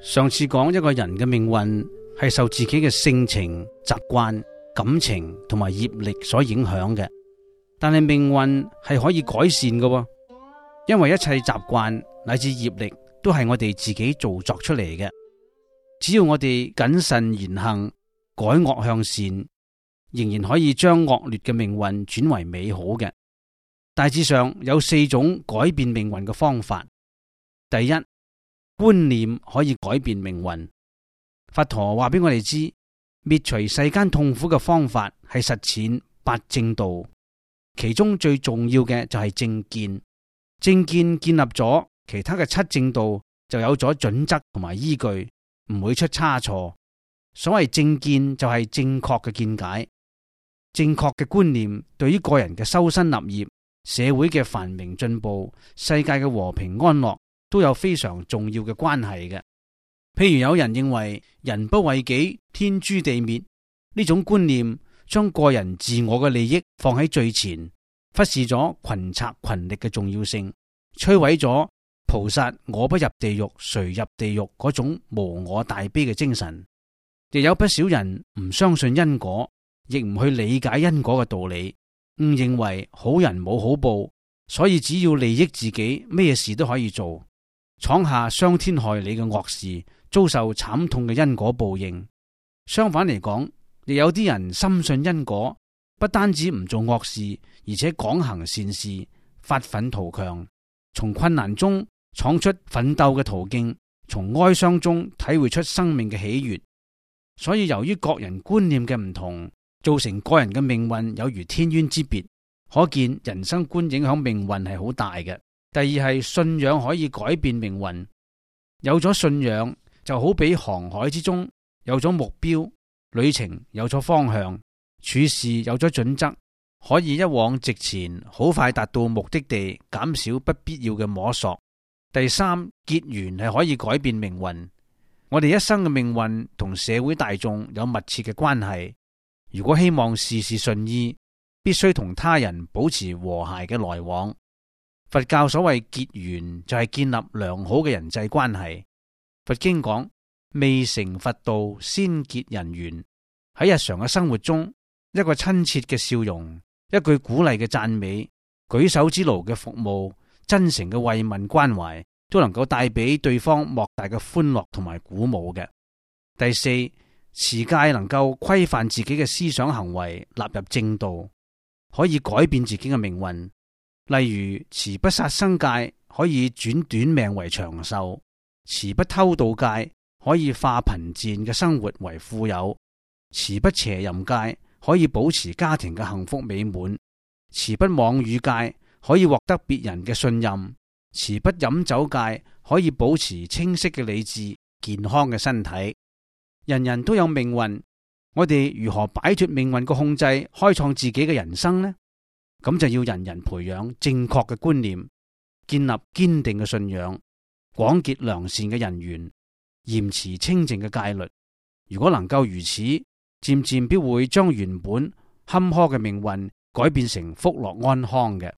上次講一個人嘅命運係受自己嘅性情、習慣、感情同埋業力所影響嘅，但係命運係可以改善嘅喎，因為一切習慣乃至業力都係我哋自己造作出嚟嘅。只要我哋謹慎言行，改惡向善，仍然可以將惡劣嘅命運轉為美好嘅。大致上有4種改變命運嘅方法。第一，觀念可以改變命運。佛陀話俾我哋知，滅除世間痛苦嘅方法係實踐8正道，其中最重要嘅就係正見。正見建立咗，其他嘅7正道就有咗準則同埋依據，唔會出差錯。所謂正見就係正確嘅見解，正確嘅觀念對於個人嘅修身立業、社會嘅繁榮進步、世界嘅和平安樂都有非常重要嘅關係嘅。譬如有人認為人不為己，天誅地滅，呢種觀念將個人自我嘅利益放喺最前，忽視咗群策群力嘅重要性，摧毀咗菩薩我不入地獄誰入地獄嗰種無我大悲嘅精神。亦有不少人唔相信因果，亦唔去理解因果嘅道理，誤認為好人冇好報，所以只要利益自己，咩事都可以做，闖下傷天害理嘅惡事，遭受慘痛嘅因果報應。相反嚟講，亦有啲人深信因果，不單止唔做惡事，而且廣行善事，發奮圖強，從困難中闖出奮鬥嘅途徑，從哀傷中體會出生命嘅喜悅。所以由於各人觀念嘅唔同，造成個人嘅命運有如天淵之別，可見人生觀影響命運係好大嘅。第二係信仰可以改變命運。有咗信仰，就好比航海之中有咗目標，旅程有咗方向，處事有咗準則，可以一往直前，好快達到目的地，減少不必要嘅摸索。第三，結緣係可以改變命運。我哋一生嘅命運同社會大眾有密切嘅關係。如果希望事事順意，必須同他人保持和諧嘅來往。佛教所謂結緣，就係建立良好嘅人際關係。佛經講，未成佛道，先結人緣。喺日常嘅生活中，一個親切嘅笑容，一句鼓勵嘅讚美，舉手之勞嘅服務，真誠嘅慰問關懷，都能夠帶俾對方莫大嘅歡樂同埋鼓舞嘅。第四，持戒能夠規範自己嘅思想行為，納入正道，可以改變自己嘅命運。例如持不殺生戒可以轉短命為長壽，持不偷盜戒可以化貧賤嘅生活為富有，持不邪淫戒可以保持家庭嘅幸福美滿，持不妄語戒可以獲得別人嘅信任，持不飲酒戒可以保持清晰嘅理智、健康嘅身體。人人都有命運，我哋如何擺脫命運嘅控制，開創自己嘅人生呢？咁就要人人培養正確嘅觀念，建立堅定嘅信仰，廣結良善嘅人緣，嚴持清淨嘅戒律。如果能夠如此，漸漸必會將原本坎坷嘅命運改變成福樂安康嘅。